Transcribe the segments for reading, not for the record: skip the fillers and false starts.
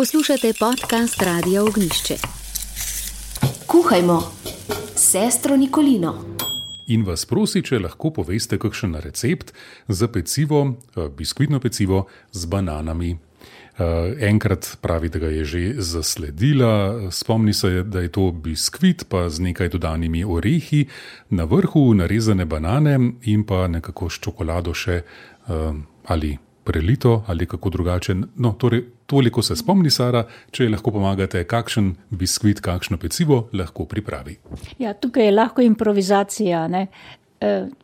Poslušate podcast Radia Ognjišče. Kuhajmo s sestro Nikolino. In vas prosi, če lahko poveste kakšen recept za pecivo, biskvitno pecivo z bananami. Enkrat pravi, da ga je že zasledila, spomni se, da je to biskvit pa z nekaj dodanimi orehi, na vrhu narezane banane in pa nekako s čokolado še ali prelito ali kako drugače. No, torej, toliko se spomni Sara, če lahko pomagate, kakšen biskvit, kakšno pecivo lahko pripravi. Ja, tukaj je lahko improvizacija, ne?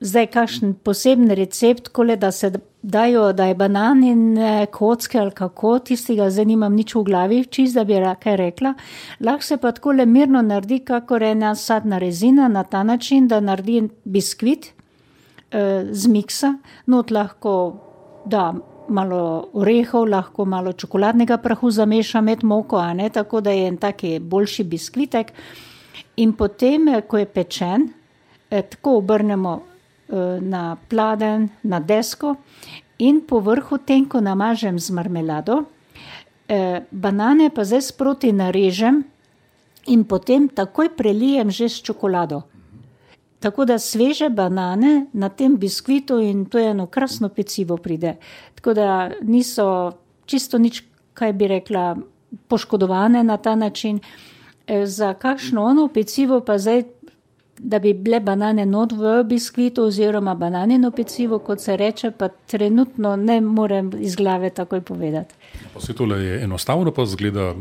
Zdaj, kakšen poseben recept, kole, da se dajo, da je bananine kocke ali kako, tistega zdaj nimam nič v glavi, čist, da bi kaj rekla. Lahko se pa takole mirno naredi, kakor ena sadna rezina, na ta način, da naredi biskvit z miksa, not lahko da malo orehov, lahko malo čokoladnega prahu zameša med moko, a ne, tako da je en taki boljši biskvitek. In potem, ko je pečen, tako obrnemo na pladenj, na desko in po vrhu tenko namažem z marmelado. Banane pa zdaj sproti narežem in potem takoj prelijem že s čokolado. Tako da sveže banane na tem biskvitu in to je eno krasno pecivo pride. Tako da niso čisto nič, kaj bi rekla, poškodovane na ta način. Za kakšno ono pecivo pa zdaj, da bi bile banane not v biskvitu oziroma bananino pecivo, kot se reče, pa trenutno ne morem iz glave takoj povedati. Vse tole je enostavno, pa zgleda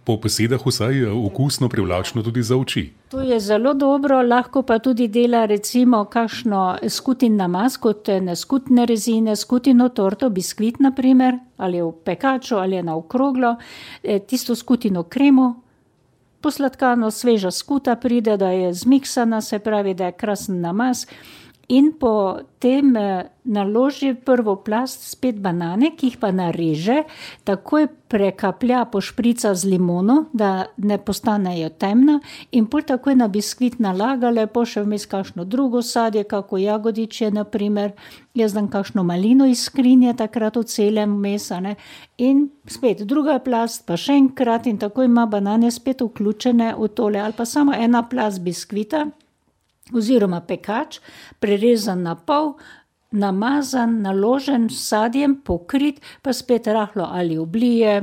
po besedah vsaj okusno, privlačno tudi za oči. To je zelo dobro, lahko pa tudi dela recimo kakšno skutin namaz, kot skutne rezine, skutino torto, biskvit na primer, ali je v pekaču, ali je na okroglo, tisto skutino kremo, posladkano, sveža skuta pride, da je zmiksana, se pravi, da je krasen namaz in potem naloži prvo plast spet banane, ki jih pa nareže, takoj prekaplja, pošprica z limono, da ne postanejo temna in pol takoj na biskvit nalaga, lepo še vmes kakšno drugo sadje, kako jagodiče, na primer, jaz dam kakšno malino iz skrinje, takrat v celem mesa, ne, in spet druga plast, pa še enkrat in tako ima banane spet vključene v tole, ali pa samo ena plast biskvita, oziroma pekač, prerezan na pol, namazan, naložen s sadjem, pokrit, pa spet rahlo ali oblije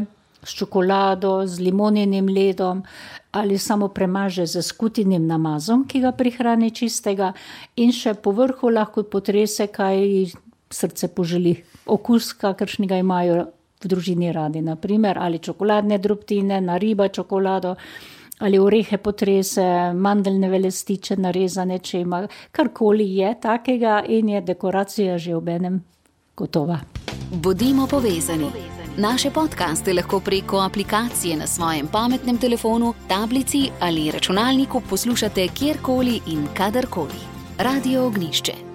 s čokolado, z limoninim ledom, ali samo premaže z skutinim namazom, ki ga prihrani čistega in še po vrhu lahko potrese, kaj srce poželi. Okus, kakršnega imajo v družini radi, na primer, ali čokoladne drobtine, nariba čokolado, ali orehe potrese, mandeljne velestiče narezane, če ima, karkoli je takega in je dekoracija že obenem gotova. Bodimo povezani. Naše podcaste lahko preko aplikacije na svojem pametnem telefonu, tablici ali računalniku poslušate kjerkoli in kadarkoli. Radio Ognjišče.